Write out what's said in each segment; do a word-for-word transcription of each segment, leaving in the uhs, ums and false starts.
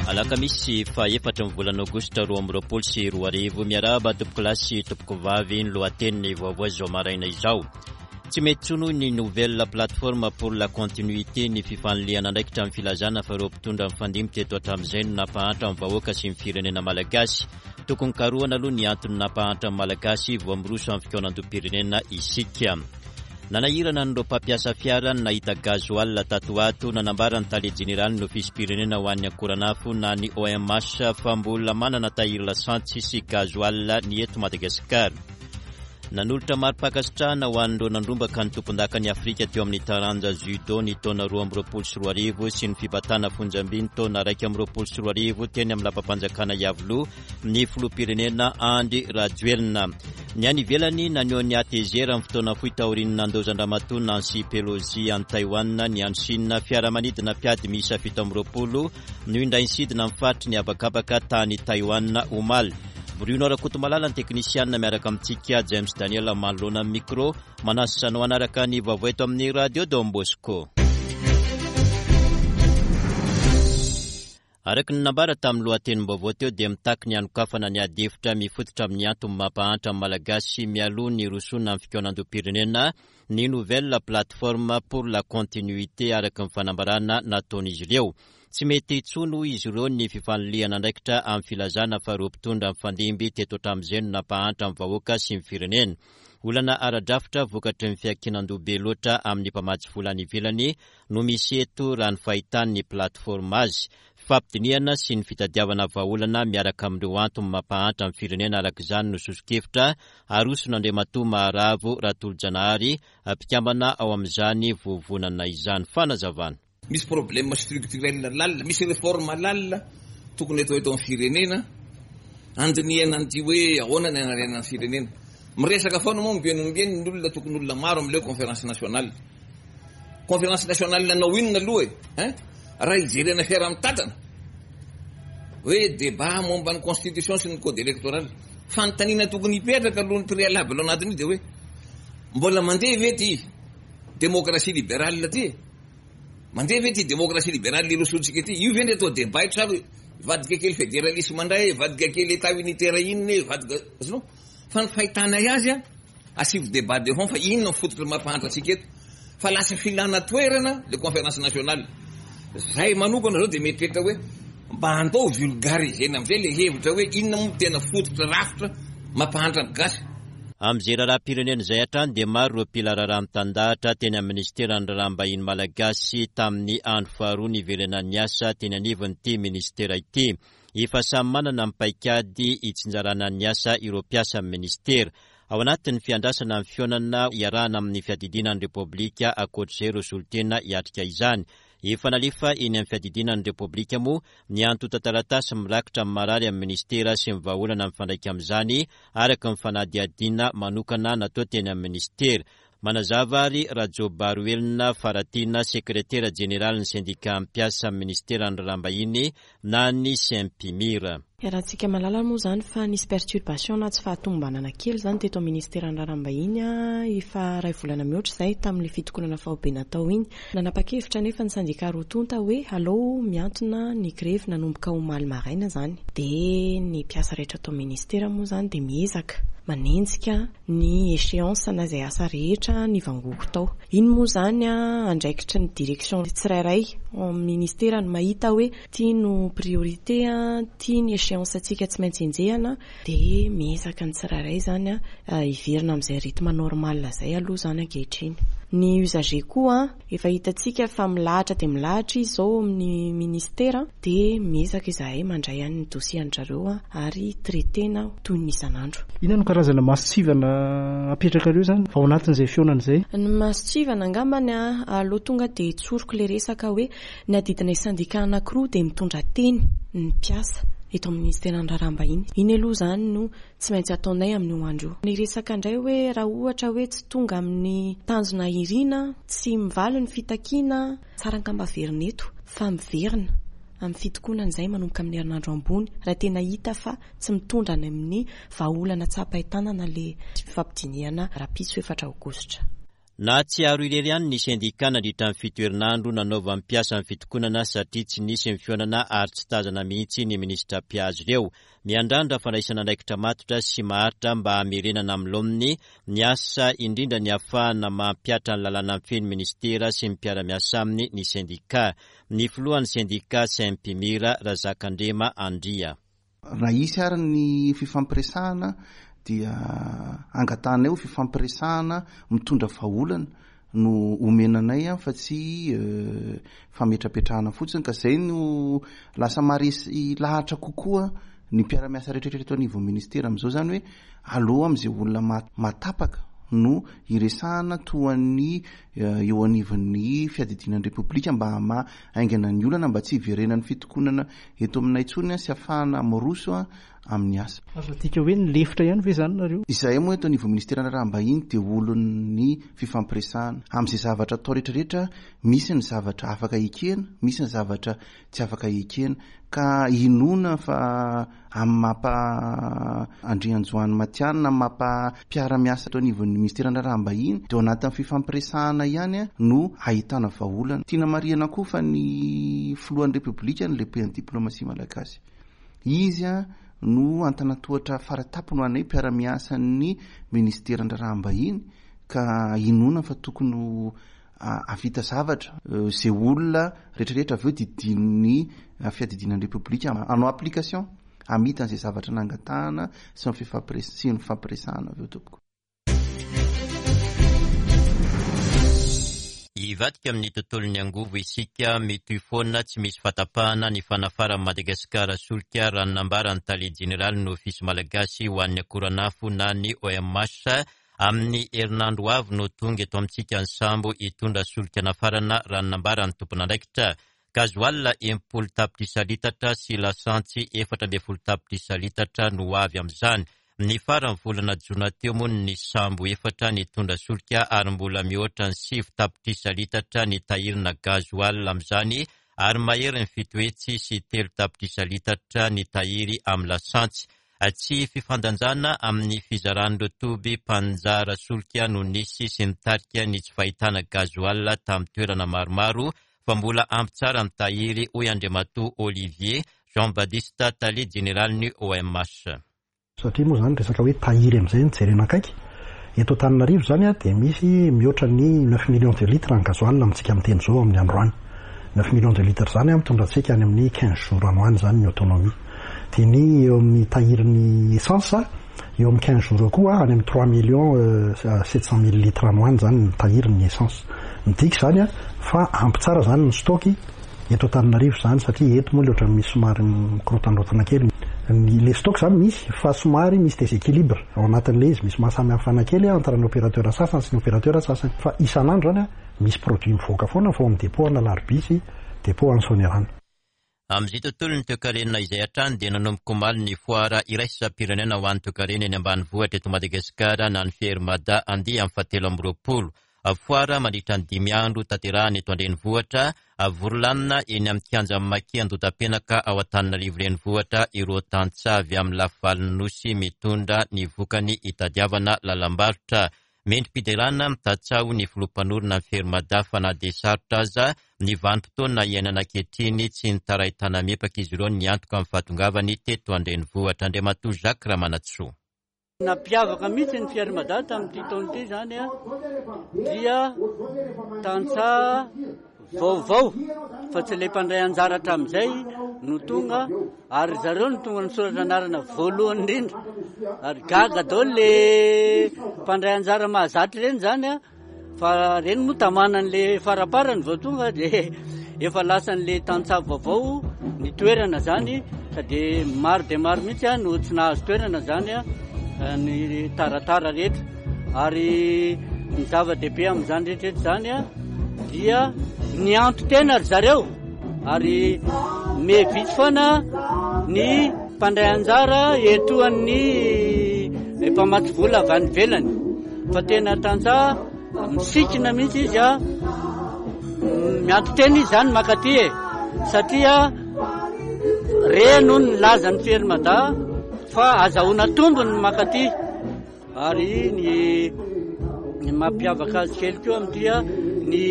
Alakamisy fahaefatra ny volana aogositra roa amby roapolo sy roa arivo. Miarahaba tompokolahy sy tompokovavy. Ny lohatenin'ny vaovao izao maraina izao: tsy mety intsony, hoy ny Nouvelle Plateforme pour la Continuité, ny fifanilihana andraikitra amin'ny filazana fa ireo mpitondra mifandimby teto hatramin'izay no nampahantra ny vahoaka sy ny firenena malagasy. Tokony karohana aloha ny antony nampahantra ny Malagasy vao miroso amin'ny fikaonandoham-pirenena isika. Nanahirana an'ireo mpampiasa fiara ny nahita gasoil tato ato. Nanambara ny tale jeneraly ny ofisim-pirenena ho an'ny akoranafo na ny O M H fa mbola manana tahiry lasantsy sy gasoil ny eto Madagasikara. Nanolotra mari-pankasitrahana ho an'ireo nandrombaka ny tompondaka ny Afrika teo amin'ny taranja judo ny taona roa amby roapolo sy roa arivo sy ny fibatana fonjamby ny taona raika amby roapolo sy roa arivo teny amin'ny lapam-panjakana Iavoloha ny filoham-pirenena Andry Rajoelina. Ny any ivelany, naneho ny hatezerany amin'ny fotoana fohy taorian'ny nandaozan-dramatoa Nancy Pelosi any Taiwan ny any Chine. Fiaramanidina mpiady miisa fito amby roapolo no indray nisidina amin'ny faritry ny habakabaka tany Taiwan omaly. Bruno Rakotomalala ny teknisianina miaraka amintsika, James Daniel manoloana amin'ny micro. Manasa anao hanaraka ny vaovao eto amin'ny Radio Don Bosco. Araka ny nambara tamin'ny lohatenim-baovao teo dia mitaky ny hanokafana ny ady hevitra mifototra amin'ny antony mampahantra ny Malagasy mialoha ny hirosoana amin'ny fikaonandoham-pirenena ny Nouvelle Plateforme pour la Continuité, araka ny fanambarana nataon'izy ireo. Tsy mety intsony, hoy izy ireo, ny fifanilihana andraikitra amin'ny filazana fa ireo mpitondra mifandimby teto hatramin'izay no nampahantra ny vahoaka sy ny firenena. Olana ara-drafitra vokatry ny fiankinan-doha be loatra amin'ny mpamatsy vola any ivelany no misy eto, raha ny fahitan'ny plateforme azy. Fifampidinihana sy ny fitadiavana vahaolana miaraka amin'ireo antony mampahantra ny firenena araka izany no soso-kevitra aroson'Andriamatoa Maharavo Ratolojanahary, mpikambana ao amin'izany vovonana izany. Fanazavana. Misy problème structurel lalina, misy réforme lalina tokony atao eto amin'ny firenena, andinihana an'ity hoe ahoana ny anarenana ny firenena. Miresaka foana moa ombieny ny olona, tokony olona maro am'le conférence nationale. Conférence nationale nanao inona aloha e, hein? Raha hijerena fiaraha-mitantana hoe débat momba ny constitution sy ny code électoral, fanontaniana tokony hipetraka aloha ny préalable anatin'io de hoe mbola mandeha ve ty démocratie libérale ty? Mandeha ve ty démocratie libérale irosotsika ty io ve ndre atao débat eto, sa vadika kely fédéralisme ndray, vadika kely état unitaire inona e, vadika azonao? Fa ny fahitanay azy a, asivo débat de fond fa inona ny fototra mampahantra antsika eto, fa lasa filana toerana le conférence nationale. Zay manokana zao de mieritreritra hoe mba andao vulgarisena amizay le hevitra hoe inona moa tena fototra rafitra mampahantra ny gasy. Amin'izay raharaham-pirenena izay hatrany dia maro ireo mpila raharaha mitandahatra teny amin'ny ministeran'ny raharaham-bahiny malagasy tamin'ny andro faharoa niverenan'ny asa teny anivon'ity ministera ity. Efa samy manana ny paikady hitsinjarana ny asa ireo mpiasa amin'ny ministera ao anatin'ny fiandrasana ny fihaonana iarahana amin'ny fiadidiana ny Repoblika. Ankoatr'izay, ireo solontena hiatrika izany, efa nalefa eny amin'ny fiadidiana ny Repoblika moa ny antontan-taratasy mirakitra amin'ny marary amin'ny ministera sy ny vahaolana mifandraika amin'izany, araka ny fanadihadiana manokana natao teny amin'ny ministera. Manazava ary Rajobaroelina Faratiana, sekretera jeneraly ny sendika mpiasa amin'ny ministeran'ny raharaham-bahiny na ny Sempimira. Iarahantsika mahalala moa zany fa nisy perturbation na tsy fahatomombanana kely zany teto amin'ny ministeran'ny raharaham-bahiny a efa ray volana mihoatra izay tamin'le fitokonana faobe natao iny. Nanapa-kevitra nefa ny sendika roa tonta hoe alao miantona ny grevy nanomboka omaly maraina zany. De ny mpiasa rehetra atao ministera moa zany de miezaka manenjika ny échéance na izay asa rehetra ny vangogo tao. Iny moa zany a andraikitry ny direction tsirairay ao amin'ny ministera no mahita hoe ty no priorité a, ty ny échéance atsika tsy maintsy enjehana, de miezaka ny tsirairay zany a hiverina amin'izay rythme normal zay aloha zany ankehitriny. Ny usager koa efa hitantsika fa milahatra de milahatra izy zao amin'ny ministera, de miezaka izahay mandray any ny dossier an-drareo a ary traitena toy ny isan'andro. Inona no karazana mason-tsivana apetrakareo zany ao anatin'izay fihaonana izay? Ny mason-tsivana angambany a aloha tonga de tsoriko le resaka hoe ny adidinay sendika anankiroa de mitondra teny ny mpiasa eto amin'ny ministeran'ny raharaham-bahiny. Iny aloha zany no tsy maintsy ataonay amin'io andro io. Ny resaka indray hoe raha ohatra hoe tsy tonga amin'ny tanjona irina, tsy mivaly ny fitakiana, tsara angamba averina eto fa miverina amin'ny fitokonana izay manomboka amin'ny herinandro ambony raha tena hita fa tsy mitondra any amin'ny vahaolana tsapain-tanana le fifampidinihana rahampitso efatra aogositra. Nahatsiaro irery ihany ny sendika nandritra ny fito herinandro nanaovan'ny mpiasa ny fitokonana satria tsy nisy ny fihaonana ary tsy tazana mihitsy ny minisitra mpiazy ireo. Miandrandra fandraisana andraikitra matotra sy maharitra mba hamerenana amin'ny laoniny ny asa, indrindra ny ahafahana mampihatra ny lalàna mifehy ny minisitera sy ny mpiara-miasa aminy ny sendika. Ny filohan'ny sendika Sempimira, Razakandrema Andria. Raha hisy ary ny fifampiresahana dia angatahanay ho fifampiresahana mitondra vahaolana no omena anay fa tsy fametrapetrahana fotsiny, ka izay no lasa maharesy lahatra kokoa ny mpiara-miasa rehetrarehetra eto anivon'ny ministera amin'izao, izany hoe aloha amin'izay olona mahatapaka no iresahana toan'ny eo anivon'ny fiadidiana ny Repoblika mba hamaha haingana ny olana, mba tsy hiverenan'ny fitokonana eto aminay intsony sy ahafahana miroso amin'ny asa. Azo adika hoe nilefitra ihany ve izany nareo? Izahay moa eto anivon'ny ministeran'ny Raharaham-bahiny dia olon'ny fifampiresahana. Amin'izay zavatra atao rehetrarehetra, misy ny zavatra afaka ekena, misy ny zavatra tsy afaka ekena. Ka inoana fa amin'ny mampa Andrianjoany Matianina, amin'ny mampa mpiara-miasa eto anivon'ny ministeran'ny Raharaham-bahiny, dia ao anatin'ny fifampiresahana ihany no ahitana vahaolana. Tiana marihana koa fa ny filohan'ny Repoblika no lehiben'ny diplomasia malagasy. Izy no antanantohatra faratapony ho anay mpiara-miasan'ny ministeran'ny Raharaham-bahiny, ka inoana fa tokony ho hahavita zavatra izay olona rehetrarehetra avy eo didinin'ny fiadidiana ny Repoblika hanao application hamita an'izay zavatra nangatahana sy ny fifampires-, sy ny fifampiresahana avy eo tompoko. Hivadika amin'ny tontolon'ny angovo isika, mitohy foana tsy misy fatapahana ny fanafaran'i Madagasikara solika, raha ny nambaran'ny tale jeneralin'ny Ofisy malagasy ho an'ny akoranafo na ny O M H. Amin'ny herinandro avy no tonga eto amintsika ny sambo hitondra solika nafarana, raha ny nambaran'ny tompon'andraikitra. Gazoala enimpolo tapitrisa litatra sy lasantsy efatra ambin'ny folo tapitrisa litatra no avy amin'izany. Ny faran'ny volana jona teo moa ny sambo efatra nitondra solika ary mbola mihoatra ny sivy tapitrisa litatra ny tahirina gazoala amin'izany, ary mahery ny fito hetsy sy telo tapitrisa litatra ny tahiry amin'ny lasantsy. Tsy fifandanjana amin'ny fizaran'ireo toby mpanjara solika no nisy sy nitarika ny tsy fahitana gazoala tamin'ny toerana maromaro, fa mbola ampy tsara ny tahiry, hoy Andriamatoa Olivier Jean-Baptiste, tale jeneralin'ny O M H. Satria moa zany resaka hoe tahiry amin'izay no jerena akaiky. Eto Antananarivo zany a, dia misy mihoatra ny neuf millions de litres ny gasoil amintsika miteny izao amin'ny androany. Neuf millions de litres zany a, mitondra antsika any amin'ny quinze jours any ho any zany ny autonomie. Dia ny eo amin'ny tahirin'ny essence, eo amin'ny quinze jours eo koa, any amin'ny trois millions, euh, sept cent mille litres any ho any zany ny tahirin'ny essence. Midika zany a, fa ampy tsara zany ny stock eto Antananarivo zany, satria eto moa le ohatran'ny misy somary mikorotandrotana kely. Ny le stock zany misy, fa somary misy déséquilibre ao anatin'ilay izy, misy mahasamihafana kely entre ny opérateur sasany sy ny opérateur sasany. Fa isan'andro zany a, misy produit mivoaka foana fa ao amin'ny dépôt an'Alarobia sy dépôt any Soanierana. Amin'izay tontolon'ny toekarena izay hatrany dia nanomboka omaly ny foara iraisam-pirenena ho an'ny toekarena eny ambanivohitra eto Madagasikara na ny Fier Mada andiany fahatelo amby roapolo. Foara mandritra ny dimy andro tanterahana eto an-drenivohitra, vory lanona eny amin'ny kianjan'ny Maki Andotapenaka ao Antananarivo renivohitra ireo tantsaha avy amin'ny lafivalon'ny Nosy mitondra ny vokany hitadiavana lalam-barotra. Mendri-piderana mitatsaho ny filoha mpanorina ny Fier Mada fa na dia sarotra aza ny vanim-potoana iainana ankehitriny, tsy nitaray tana-miepaka izy ireo ny antoka amin'ny fahatongavany teto an-drenivohitra. Andriamatoa Jacques Ramanantsoa. Nampiavaka mihitsy ny Fier Mada tamin'ity taona ity zany a, dia tantsaha vaovao fa tsy ilay mpandray anjara hatramin'izay no tonga, ary zareo no tonga nisoratra anarana voalohany indrindra, ary gaga daholo le mpandray anjara mahazatra ireny zany a, fa ireny moa tamanan'le faraparany vao tonga dia efa lasan'le tantsaha vaovao ny toerana zany, ka dia maro dia maro mihitsy a no tsy nahazo toerana zany a ny taratara rehetra. Ary ny zava-dehibe amin'izany rehetrarehetra zany a dia nianto tena ry zareo, ary mevitsy foana ny mpandray anjara etoan'ny mpamatsy vola avy any ivelany, fa tena tantsaha misikina mihitsy izy a, mianto tena izy zany makaty e, satria reno ny lazan'ny Fier Mada fa azahoana tombony ny makaty. Ary ny, Ny mampiavaka azy kely koa amin'ity ny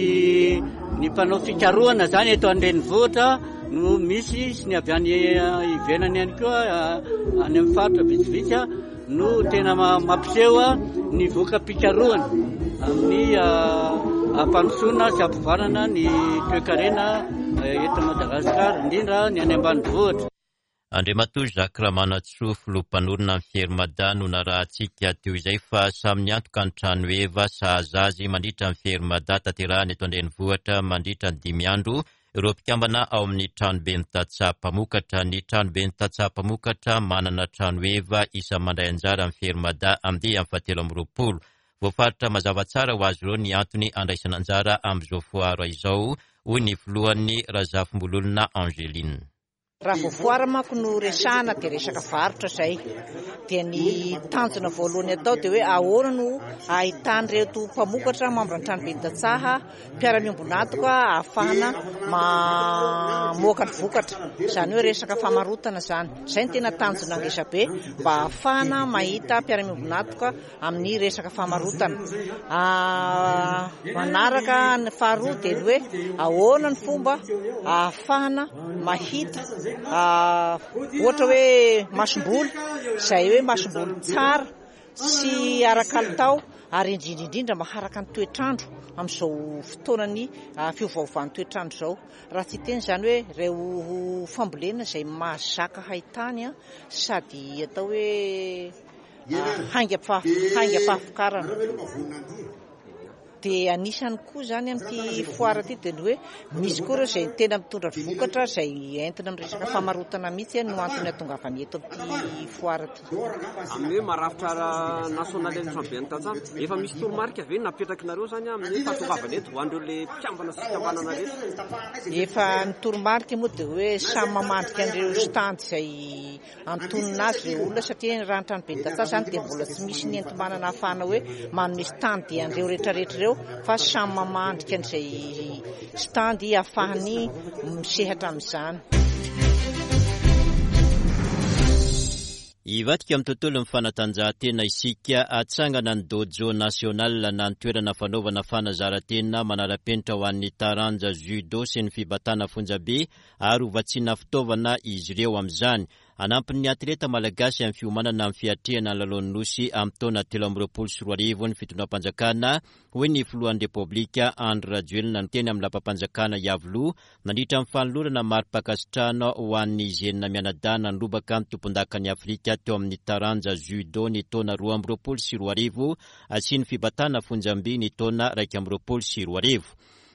ny mpanao fikarohana zany eto an-drenivohitra no misy sy ny avy any ivelany ihany koa any amin'ny faritra vitsivitsy no tena mampiseho ny voka-pikarohana amin'ny ampandrosoana sy ampivoarana ny toekarena eto Madagasikara, indrindra ny any ambanivohitra. Andriamatoa Jacques Ramanantsoa, filoha mpanorina ny Fier Mada no narahantsika teo izay, fa samy niantoka ny trano heva sahaza azy mandritra ny Fier Mada tanterahana eto an-drenivohitra mandritra ny dimy andro ireo mpikambana ao amin'ny tranoben'ny tantsaha mpamokatra. Ny tranoben'ny tantsaha mpamokatra manana trano heva isan'ny mandray anjara amin'ny Fier Mada andiany fahatelo amby roapolo. Voafaritra mazava tsara ho azy ireo ny antony andraisana anjara amin'izao foara izao, hoy ny filohan'ny Razafimbololona Angeline. Raha vao foara manko no resahana dia resaka varotra izay. Dia ny tanjona voalohany atao dia hoe ahoana no ahitan'ireto mpamokatra membre ny tranoben'ny tantsaha mpiara-miombon'antoka ahafahana mamoaka ny vokatra. Izany hoe resaka famarotana izany. Izay no tena tanjona ngeza be mba ahafahana mahita mpiara-miombon'antoka amin'ny resaka famarotana. Manaraka ny faharoa dia ny hoe ahoana ny fomba ahafahana mahita ohatra hoe masomboly, izay hoe masomboly tsara sy ara-kalitao ary indrindra indrindra maharaka ny toetrandro amin'izao fotoanany fiovaovan'ny toetrandro izao. Raha tsy hiteny izany hoe ireo fambolena izay mahazaka haitany sady atao hoe haingam-pahavokarana. Dia anisany koa izany amin'ity foara ity dia ny hoe misy koa ireo izay tena mitondra vokatra izay entina amin'ny resaka famarotana mihitsy no antony hahatongavany eto amin'ity foara ity. Amin'ny hoe marafitra nasionaly ny tranoben'ny tantsaha, efa misy toromarika ve napetrakinareo izany amin'ny fahatongavana eto ho an'ireo le mpikambana sy fikambanana rehetra? Efa ny toromarika moa dia hoe samy mamandrika an'ireo stand izay antonona azy ireo olona, satria raha ny tranoben'ny tantsaha izany dia mbola tsy misy ny enti-manana ahafahana hoe manome stand an'ireo rehetrarehetra ireo, fa samy mamandrika an'izay stand ahafahany misehatra amin'izany. Hivadika amin'ny tontolon'ny fanatanjahantena isika. Atsangana ny dojo national na ny toerana fanaovana fanazaran-tena manara-penitra ho an'ny taranja judo sy ny fibatana fonjabe ary hovatsiana fitaovana izy ireo amin'izany. Anampin'ny atleta malagasy amin'ny fiomanana amin'ny fiatrehana ny lalaon'ny Nosy amin'ny taona telo amby roapolo sy roa arivo ny fitondram-panjakana, hoy ny filohan'ny Repoblika Andry Rajoelina teny amin'ny lapam-panjakana Iavoloha nandritra ny fanolorana mari-pankasitrahana ho an'ny Zenina mianadana nirobaka ny tompondakan'i Afrika teo amin'ny taranja judo ny taona roa amby roapolo sy roa arivo sy ny fibatana fonjamby ny taona iraika amby roapolo sy roa arivo.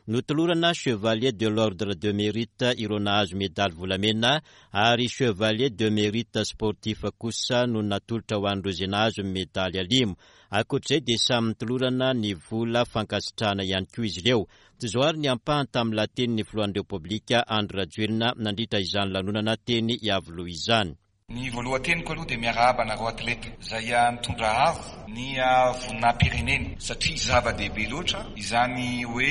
Notolorana chevalier de l'ordre de mérite ireo nahazo medaly volamena ary chevalier de mérite sportif kosa no natolotra ho an'ireo izay nahazo medaly alimo. Ankoatr'izay dia samy notolorana ny vola fankasitrahana ihany koa izy ireo. Toy izao ary ny ampahany tamin'ny lahatenin'ny filohan'ny Repoblika Andry Rajoelina nandritra izany lanonana teny Iavoloha izany. Ny voalohan-teniko aloha dia miarahaba anareo atleta izay nitondra avo ny voninahim-pirenena, satria zava-dehibe loatra izany hoe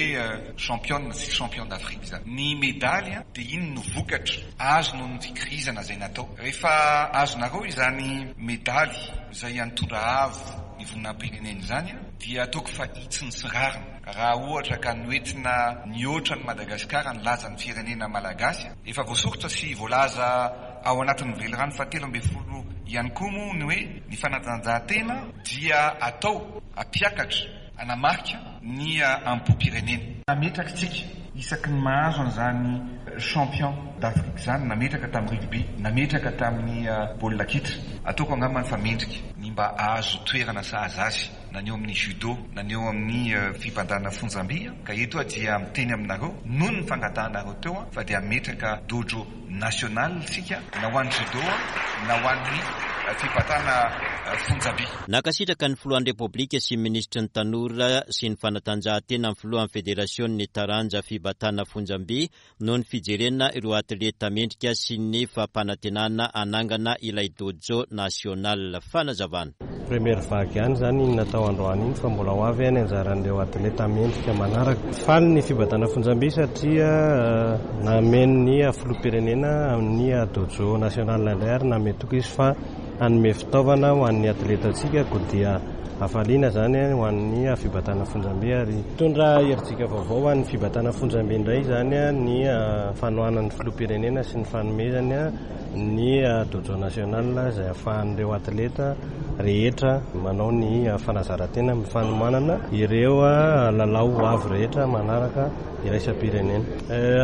championne sy champion d'Afrique izany. Ny medaly dia iny no vokatra azo noho ny fikirizana izay natao. Rehefa azonareo izany medaly izay nitondra avo ny voninahim-pirenena izany dia ataoko fa hitsiny sy rariny raha ohatra ka noentina nihoatra ny Madagasikara ny lazan'ny firenena malagasy. Efa voasoritra sy voalaza ao anatin'ny velirano fahatelo ambin'ny folo ihany koa moa ny hoe ny fanatanjahantena dia atao hampiakatra hanamarika ny ampo-pirenena. Nametraka isika isaky ny mahazo an'izany champion d'Afrique izany, nametraka tamin'ny rugby, nametraka tamin'ny baolina kitra. Ataoko angamba fa mendrika ny mba ahazo toerana sahaza azy na ny eo amin'ny judo na ny eo amin'ny fibandana fonjamby, ka eto aho dia miteny aminareo noho ny fangatahanareo teo fa dia hametraka dojo national isika na ho an'ny judo na ho an'ny fibatana fonjamby. Nankasitraka ny filohan'ny Repoblika sy minisitry ny tanora sy ny fanatanjahantena ny filohan'ny federasion'ny taranja fibatana fonjamby noho ny fijerena ireo atleta mendrika sy ny fampanantenana hanangana ilay dojo national. Fanazavana. Première vague ihany zany iny natao androany iny, fa mbola ho avy any anjaran'ireo atleta mendrika manaraka. Faly ny fibatana fonjamby satria nameno ny filoham-pirenena amin'ny dojo national indray ary nametraka izy fa hanome fitaovana ho an'ny atletantsika, koa dia Hafaliana izany ho an'ny fibatana fonjamby ary mitondra herijika vaovao ho an'ny fibatana fonjamby indray izany ny fanohanan'ny filoham-pirenena sy ny fanomezany ny dojo national izay ahafahan'ireo atleta rehetra manao ny fanazaran-tena amin'ny fanomanana ireo lalao ho avy rehetra manaraka iraisam-pirenena.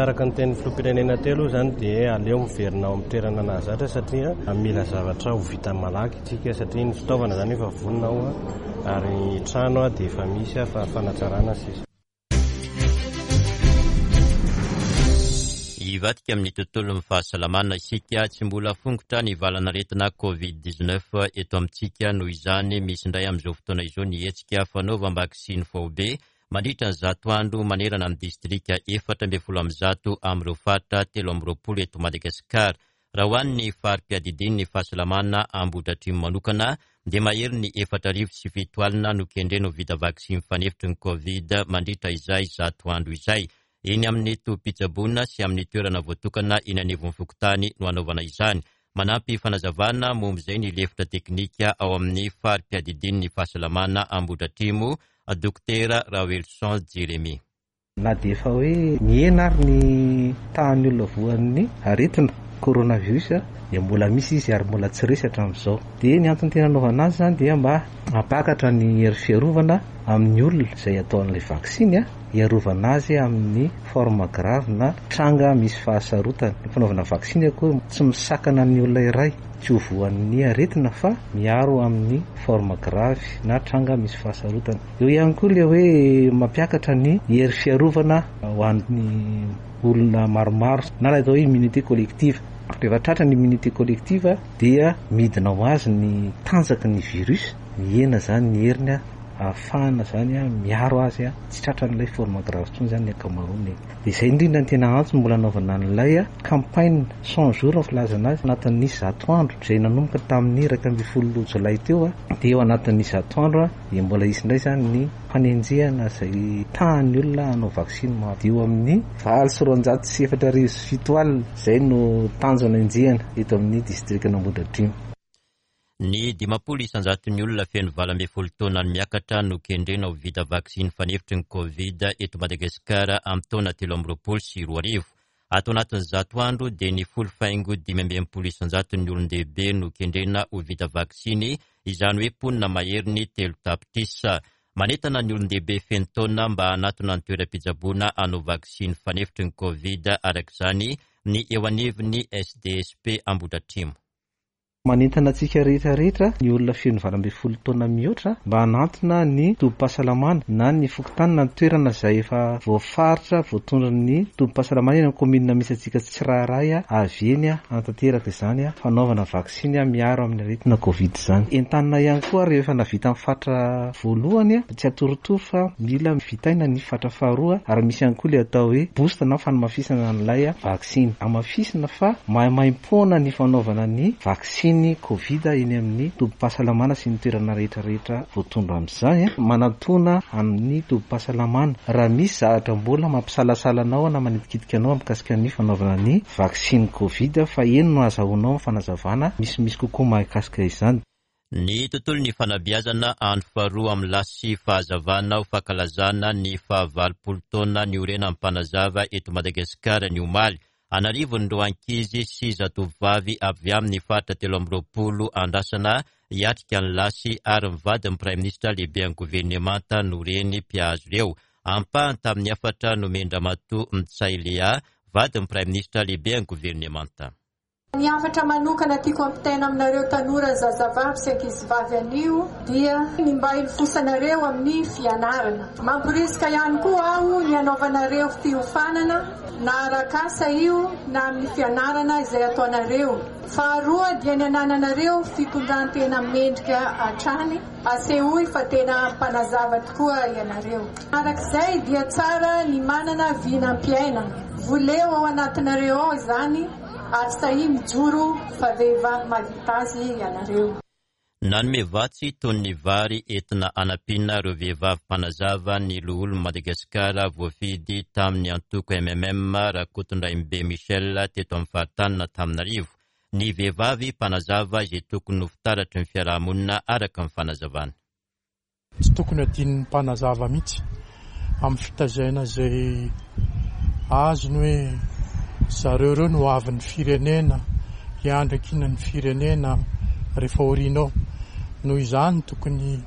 Araka ny tenin'ny filoham-pirenena teo aloha izany dia aleo miverina ao amin'ny toerana nahazatra satria mila zavatra ho vita malaky isika satria ny fitaovana izany efa vonona ao ary ny trano dia efa misy fa fanatsarana sisa. Hivadika amin'ny tontolon'ny fahasalamana isika. Tsy mbola fongotra ny valanaretina Covid dix-neuf eto amintsika. Noho izany, misy indray amin'izao fotoana izao ny hetsika fanaovam-baksiny faobe mandritra ny zato andro manerana ny distrika efatra ambin'ny folo amby zato amin'ireo faritra telo amby roapolo eto Madagasikara. Raha ho an'ny fari-piadidian'ny fahasalamana Ambohidratrimo manokana dia mahery ny efatra arivo sy fito alina no kendrena ho vita vaksiny fanefitry ny Covid mandritra izay zato andro izay. Eny amin'ny tobim-pitsaboana sy amin'ny toerana voatokana eny anivon'ny fokontany no hanaovana izany. Manampy fanazavana momba izay ny lefitra teknika ao amin'ny fari-piadidian'ny fahasalamana Ambohidratrimo, Dokotera Raoelson Jeremy. Na dia efa hoe mihena ary ny tahan'ny olona voan'ny aretina coronavirus dia mbola misy izy ary mbola tsy resy hatramin'izao. Dia ny antony tena anaovana azy izany dia mba hampakatra ny hery fiarovana amin'ny olona izay ataon'ilay vaksiny, hiarovana azy amin'ny forme grave na tranga misy fahasarotana. Ny fanaovana vaksiny akory tsy misakana ny olona iray tsy ho voan'ny aretina fa miaro amin'ny forme grave na tranga misy fahasarotana. Eo ihany koa ilay hoe mampiakatra ny hery fiarovana ho an'ny olona maromaro na ilay atao hoe immunité collective. Rehefa tratra ny immunité collective dia midina ho azy ny tanjaky ny virus, mihena izany ny heriny ahafahana izany miaro azy tsy tratran'ilay forme grave intsony izany ny ankamaroany. Dia izay indrindra ny tena antony mbola anaovana an'ilay campagne cent jours ny filazana azy anatin'ny zato andro izay nanomboka tamin'ny iraika ambin'ny folo jolay teo, dia eo anatin'ny zato andro dia mbola hisy indray izany ny fanenjehana izay tahan'ny olona hanao vaksiny maro. Dia eo amin'ny valo sy roanjato sy efatra arivo sy fito alina izay no tanjona enjehana eto amin'ny distrikan'Ambohidratrimo. Ny dimampolo isanjaton'ny olona feno valo ambin'ny folo taona ny miakatra no kendrena ho vita vaksiny fanefitry ny Covid eto Madagasikara amin'ny taona telo amby roapolo sy roa arivo. Ato anatin'ny zato andro dia ny folo faingo dimy amby enimpolo isanjaton'ny olon-dehibe no kendrena ho vita vaksiny, izany hoe mponina mahery ny telo tapitrisa. Manentana ny olon-dehibe feno taona mba hanatona ny toeram-pitsaboana hanao vaksiny fanefitry ny Covid araka izany ny eo anivon'ny S D S P Ambohidratrimo. Manentana antsika rehetra rehetra ny olona feno valo ambin'ny folo taona mihoatra mba hanantona ny tobim-pahasalamana na ny fokontany na ny toerana izay efa voafaritra voatondron'ny tobim-pahasalamana eny amin'ny kaominina misy antsika tsirairay avy eny hanatanteraka izany fanaovana vaksiny miaro amin'ny aretina Covid izany. Entanina ihany koa rehefa nahavita ny fatra voalohany tsy atorotoro fa mila vitaina ny fatra faharoa ary misy ihany koa ilay atao hoe boost na fanamafisana an'ilay vaksiny. Hamafisina fa maimaimpoana ny fanaovana ny vaksiny ny Covid eny amin'ny tobim-pahasalamana sy ny toerana rehetra rehetra voatondro amin'izany. Manatona amin'ny tobim-pahasalamana raha misy zavatra mbola mampisalasala anao na manitikitika anao mikasika ny fanaovana ny vaksiny Covid fa eny no ahazoanao fanazavana misimisy kokoa mahakasika izany. Ny tontolon'ny fanabeazana andro faharoa amin'ny lasy fahazavana ho fankalazana ny fahavalopolo taona niorenan'ny mpanazava eto Madagasikara ny omaly. Anarivon'ireo ankizy sy zatovovavy avy amin'ny faritra telo amby roapolo andrasana hiatrika ny lasy ary mivady ny praiminisitra lehibe an'ny governemanta no reny mpihazo ireo. Ampahany tamin'ny hafatra nomen-dRamatoa Ntsay Léa, vadin'ny praiminisitra lehibe an'ny governemanta. Ny hafatra manokana tiako ampitaina aminareo tanora zazavavy sy ankizivavy anio dia ny mba hilofosanareo amin'ny fianarana. Mamporisika ihany koa aho ny hanaovanareo fiofanana na arak'asa io na amin'ny fianarana izay ataonareo. Faharoa dia ny anananareo fitondran-tena mendrika hatrany, asehoy fa tena mpanazava tokoa ianareo. Arak'izay dia tsara ny manana vinam-piainana. Voleo ao anatinareo ao izany ary sahy mijoro fa vehivavy mahavita azy ianareo. Nanome vatsy toy ny vary entina hanampiana ireo vehivavy mpanazava ny loholon'i Madagasikara voafidy tamin'ny antoko M M M Rakotondrainibe Michel teto amin'ny faritany Antananarivo. Ny vehivavy mpanazava izay tokony ho fitaratry ny fiarahamonina araka ny fanazavana. Tsy tokony hadinon'ny mpanazava mihitsy amin'ny fitaizana izay azony hoe zareo ireo no hoavin'ny firenena, hiandry ankinan'ny firenena rehefa aoriana ao. Noho izany tokony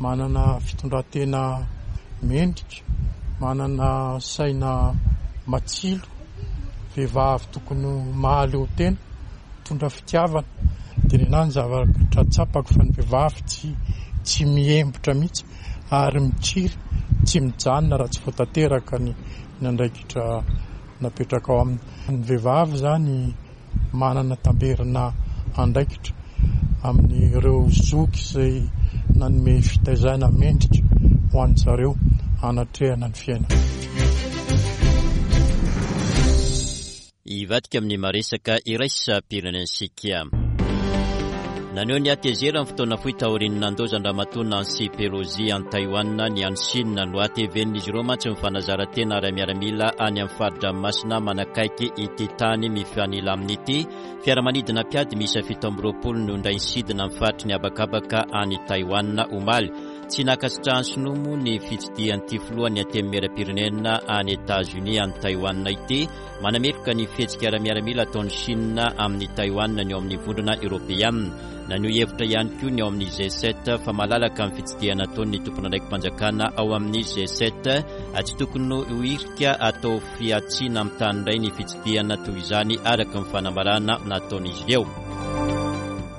manana fitondran-tena mendrika, manana saina matsilo, vehivavy tokony ho mahaleo tena, mitondra fitiavana. Dia ny ahy ny zavatra tsapako fa ny vehivavy tsy tsy mihembotra mihitsy ary mikiry tsy mijanona raha tsy voatanteraka ny ny andraikitra napetraka ao aminy. Ny vehivavy izany manana tamberina andraikitra amin'ireo zoky izay nanome fitaizana mendrika ho an-dry zareo hanatrehana ny fiainana. Hivadika amin'ny maresaka iraisam-pirenena isika. Naneho ny hatezerany fotoana fohy taorian'ny nandaozan-dRamatoa Nancy Pelosi any Taïwan ny any Chine. Nohatevenin'izy ireo mantsy ny fanazaran-tena ara-miaramila any amin'ny fari-dranomasina manakaiky ity tany mifanila aminy ity. Fiaramanidina mpiady miisa fito amby roapolo no indray nisidina amin'ny faritry ny habakabaka any Taïwan omaly. Tsy nankasitrahan'ny Sinoa moa ny fitsidihan'ity filohan'ny Antenimierampirenena any Etazonia any Taïwan ity. Manameloka ny fihetsika ara-miaramila ataon'i Chine amin'ny Taïwan ny ao amin'ny vondrona Eoropeana. Naneho hevitra ihany koa ny ao amin'ny G sept fa malalaka amin'ny fitsidihana ataon'ny tompon'andraiki-panjakana ao amin'ny G sept. Tsy tokony ho hirika atao fihantsiana amin'ny tany iray ny fitsidihana toy izany araka ny fanambarana nataon'izy ireo.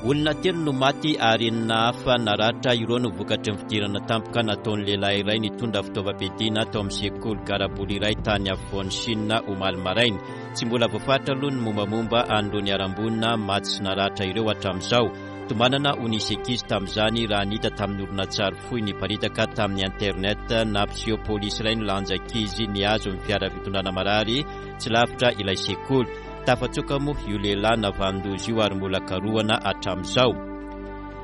Olona telo no maty ary enina hafa naratra ireo no vokatry ny fidirana tampoka nataon'ny lehilahy iray nitondra fitaovam-piadiana tao amin'ny sekoly garaboly iray tany afovoan'i Chine omaly maraina. Tsy mbola voafaritra aloha ny mombamomba an'ireo niharam-boina maty sy naratra ireo hatramin'izao. Tombanana ho nisy ankizy tamin'izany raha nita tamin'ny horonantsary fohy niparitaka tamin'ny internet nampiseho polisy iray nilanja ankizy nihazo ny fiara fitondrana marary tsy lavitra ilay sekoly. Tafatsoaka moa io lehilahy navanon-doza io ary mbola karohana hatramin'izao.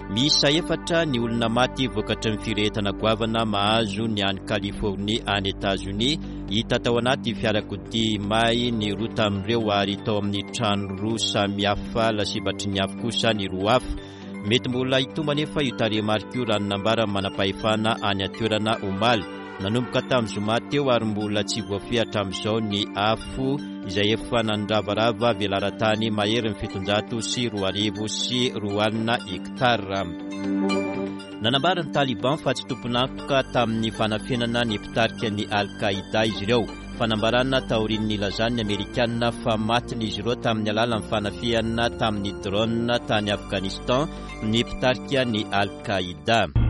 Miisa efatra ny olona maty vokatry ny firehetana goavana mahazo ny any Californie any Etazonia. Hita tao anaty fiarakodia may ny roa tamin'ireo ary tao amin'ny trano roa samihafa lasibatry ny afo kosa ny roa hafa. Mety mbola hitombo anefa io tarehimarika io raha ny nambaran'ny manam-pahefana any an-toerana omaly. Nanomboka tamin'ny zoma teo ary mbola tsy voafehy hatramin'izao ny afo izay efa nandravarava velaran-tany maherin'ny fitonjato sy roa arivo sy roa alina hektara. Nanambara ny Taliban fa tsy tompon'antoka tamin'ny fanafenana ny mpitarika ny Al-Qaïda izy ireo. Fanambarana taorian'ny nilazan'ny Amerikana fa matin'izy ireo tamin'ny alalan'ny fanafihana tamin'ny drone tany Afghanistan ny mpitarika ny Al-Qaïda.